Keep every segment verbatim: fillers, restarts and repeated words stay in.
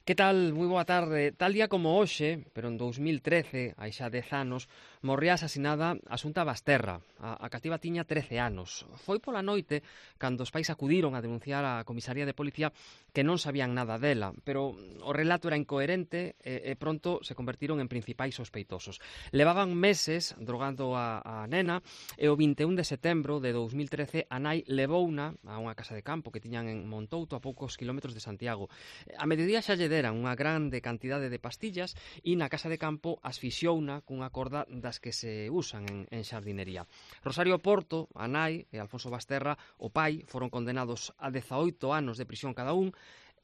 Que tal? Moi boa tarde. Tal día como hoxe, pero en dous mil trece, hai xa dez anos, morría asasinada Asunta Basterra. A, a cativa tiña trece anos. Foi pola noite cando os pais acudiron a denunciar á comisaría de policía que non sabían nada dela, pero o relato era incoherente e, e pronto se convertiron en principais sospeitosos. Levaban meses drogando a, a nena e o vinte e un de setembro de dous mil trece a nai levouna a unha casa de campo que tiñan en Montouto a poucos kilómetros de Santiago. A mediodía xa lle deran unha grande cantidade de pastillas e na casa de campo asfixiouna cunha corda das que se usan en, en xardinería. Rosario Porto, a nai, e Alfonso Basterra, o pai, foron condenados a dezaoito anos de prisión cada un.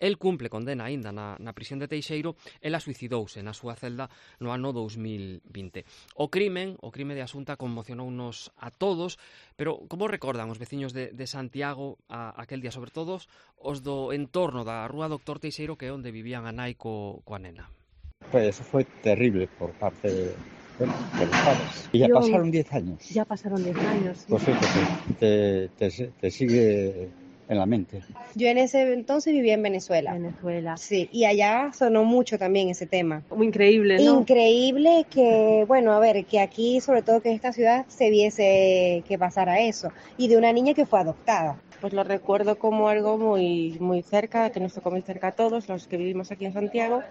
El cumple condena aínda na, na prisión de Teixeiro. Ela suicidouse na súa celda no ano dous mil vinte. O crimen, o crime de Asunta conmocionounos a todos, pero como recordan os veciños de, de Santiago a, aquel día, sobre todo os do entorno da rúa Doctor Teixeiro, que é onde vivían a nai co, coa nena? Pues eso fue terrible por parte de, bueno, de los padres. Y ya Yo, pasaron diez años. Ya pasaron diez años. ¿Sí? Pues fíjate, te, te, te sigue en la mente. Yo en ese entonces vivía en Venezuela. Venezuela. Sí, y allá sonó mucho también ese tema. Muy increíble, ¿no? Increíble que, bueno, a ver, que aquí, sobre todo que en esta ciudad, se viese que pasara eso. Y de una niña que fue adoptada. Pues lo recuerdo como algo muy, muy cerca, que nos tocó muy cerca a todos los que vivimos aquí en Santiago,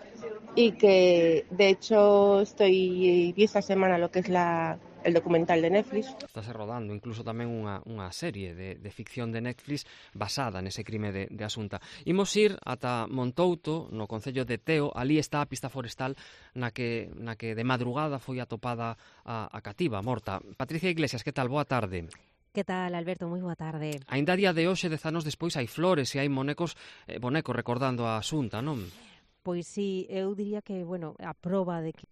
y que de hecho estoy vi esta semana lo que es la el documental de Netflix. Estase rodando incluso tamén unha, unha serie de, de ficción de Netflix basada nese crime de, de Asunta. Imos ir ata Montouto, no concello de Teo. Ali está a pista forestal na que, na que de madrugada foi atopada a, a cativa, morta. Patricia Iglesias, que tal? Boa tarde. Que tal, Alberto? Moi boa tarde. Aínda a día de hoxe, dez anos despois, hai flores e hai monecos, eh, bonecos recordando a Asunta, non? Pois sí, eu diría que, bueno, a proba de que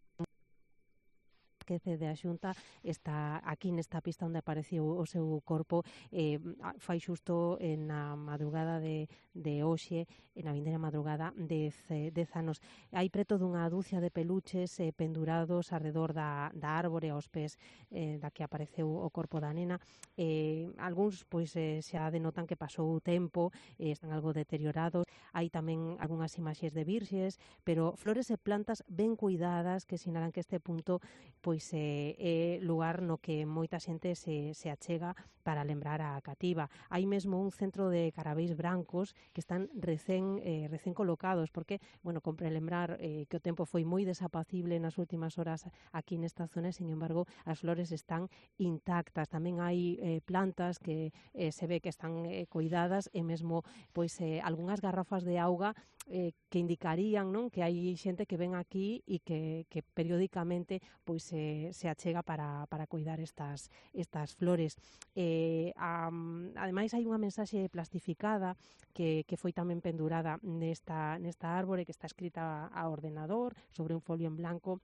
de a Xunta está aquí nesta pista onde apareceu o seu corpo, eh, fai xusto na madrugada de, de hoxe, na vindeira madrugada de dez anos. Hai preto dunha dúcia de peluches eh, pendurados arredor da, da árbore aos pés eh, da que apareceu o corpo da nena. Eh, algúns pois eh, xa denotan que pasou o tempo, eh, están algo deteriorados. Hai tamén algunhas imaxes de virxes, pero flores e plantas ben cuidadas que sinalan que este punto pois é eh, lugar no que moita xente se, se achega para lembrar a cativa. Hai mesmo un centro de carabéis brancos que están recén, eh, recén colocados, porque, bueno, compre lembrar eh, que o tempo foi moi desapacible nas últimas horas aquí nesta zona, sin embargo, as flores están intactas. Tamén hai eh, plantas que eh, se ve que están eh, cuidadas e mesmo pois eh, algunhas garrafas de auga eh, que indicarían, non, que hai xente que ven aquí e que, que periódicamente pois eh, se achega para, para cuidar estas, estas flores. Eh, um, ademais, hai unha mensaxe plastificada que, que foi tamén pendurada nesta, nesta árbore, que está escrita a ordenador sobre un folio en blanco.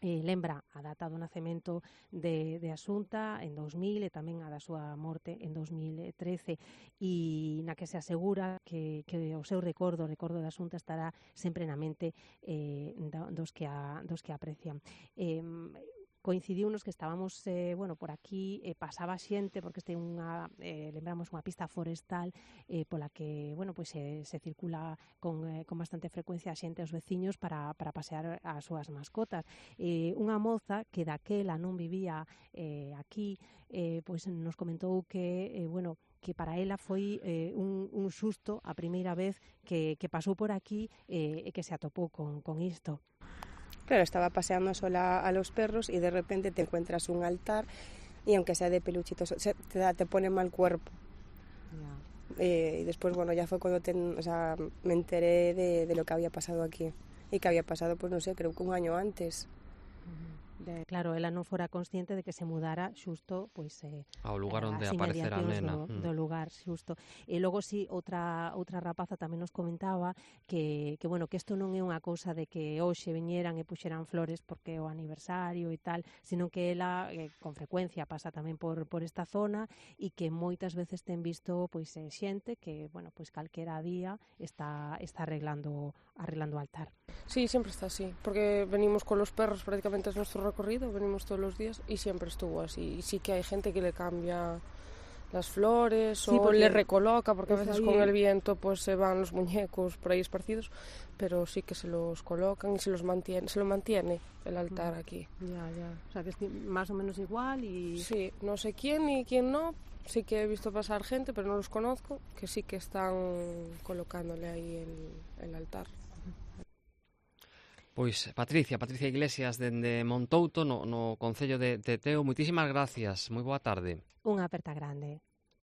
Eh, lembra a data do nacemento de, de Asunta en dous mil e tamén a da súa morte en dous mil trece, e na que se asegura que, que o seu recordo, o recordo de Asunta estará sempre na mente eh, dos, que a, dos que a aprecian. Eh, coincidiunos que estábamos eh, bueno, por aquí, eh, pasaba xente, porque este é unha, eh, lembramos, unha pista forestal eh, pola que, bueno, pois se, se circula con, eh, con bastante frecuencia a xente aos veciños para, para pasear as súas mascotas. Eh, unha moza que daquela non vivía eh, aquí, eh, pois nos comentou que, eh, bueno, que para ela foi eh, un, un susto a primeira vez que, que pasou por aquí eh, e que se atopou con, con isto. Claro, estaba paseando sola a los perros y de repente te encuentras un altar y aunque sea de peluchitos, te, te pone mal cuerpo. Yeah. Eh, y después, bueno, ya fue cuando te, o sea, me enteré de, de lo que había pasado aquí. Y que había pasado, pues no sé, creo que un año antes. De, claro, ela non fora consciente de que se mudara xusto pois eh, ao lugar onde aparecera a nena do, do lugar xusto. E logo si outra outra rapaza tamén nos comentaba que que bueno, que isto non é unha cousa de que hoxe viñeran e puxeran flores porque é o aniversario e tal, sino que ela eh, con frecuencia pasa tamén por por esta zona e que moitas veces ten visto pois eh, xente que, bueno, pois calquera día está está arreglando arreglando o altar. Sí, siempre está así, porque venimos con los perros, prácticamente es nuestro recorrido, venimos todos los días y siempre estuvo así. Y sí que hay gente que le cambia las flores, Sí, o porque le recoloca, porque a es veces ahí- con el viento pues se van los muñecos por ahí esparcidos, pero sí que se los colocan y se los mantiene, se lo mantiene el altar aquí. Ya, ya. O sea, que es ti- más o menos igual y... Sí, no sé quién y quién no, sí que he visto pasar gente, pero no los conozco, que sí que están colocándole ahí el, el altar. Pois Patricia, Patricia Iglesias dende Montouto no, no Concello de, de Teo, moitísimas gracias, moi boa tarde. Unha aperta grande.